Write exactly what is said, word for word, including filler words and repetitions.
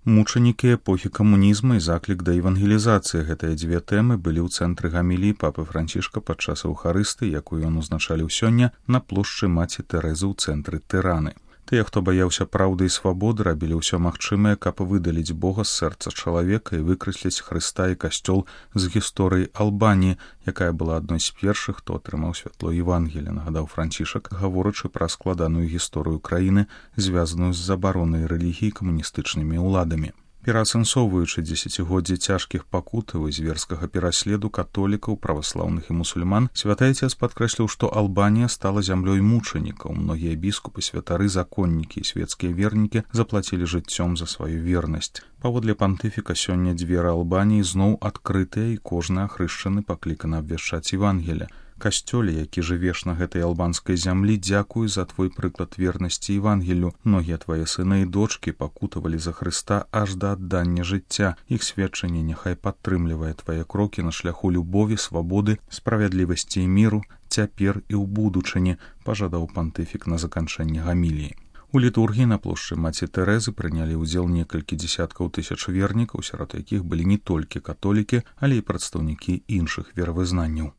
Мучанікі эпохі камунізма і заклік да евангелізацыі. Гэтыя дзве тэмы былі ў цэнтры гаміліі папы Францішка падчас эўхарысты, якую ён узначаліў сёння на плошчы маці Тэрэзы ў цэнтры Тыраны. Тыя, хто баяўся праўды і свабоды, рабілі ўсё магчымае, каб выдаліць Бога з сэрца чалавека і выкрэсліць Хрыста і касцёл з гісторыі Албаніі, якая была адной з першых, хто атрымаў святло Евангелія, нагадаў Францішак, гаворачы пра складаную гісторыю краіны, звязаную з забаронай рэлігіі камуністычнымі ўладамі. Пераасэнсоўваючы дзесяцігоддзі цяжкіх пакутаў і зверскага пераследу католікаў, праваслаўных і мусульман, святы Айцец падкрэсліў, што Албанія стала зямлёй мучанікаў. Многія біскупы, святары, законнікі і свецкія вернікі заплацілі жыццём за сваю вернасць. Паводле пантыфіка сёння дзверы Албаніі зноў адкрытыя і кожны ахрышчаны пакліканы абвяшчаць Евангелія. Касцёле, які жывеш на гэтай албанскай зямлі, дзякуй за твой прыклад вернасці Евангелію. Многія твае сыны і дочкі пакутавалі за Хрыста аж да аддання жыцця. Іх сведчанне няхай падтрымлівае твае крокі на шляху любові, свабоды, справядлівасці і міру, цяпер і ў будучыні, пажадаў пантыфік на заканчэнне гаміліі. У літургіі на плошчы маці Тэрэзы прынялі ўдзел некалькі дзесяткаў тысяч вернікаў, сярод якіх былі не толькі католікі, але і прадстаўнікі іншых веравызнанняў.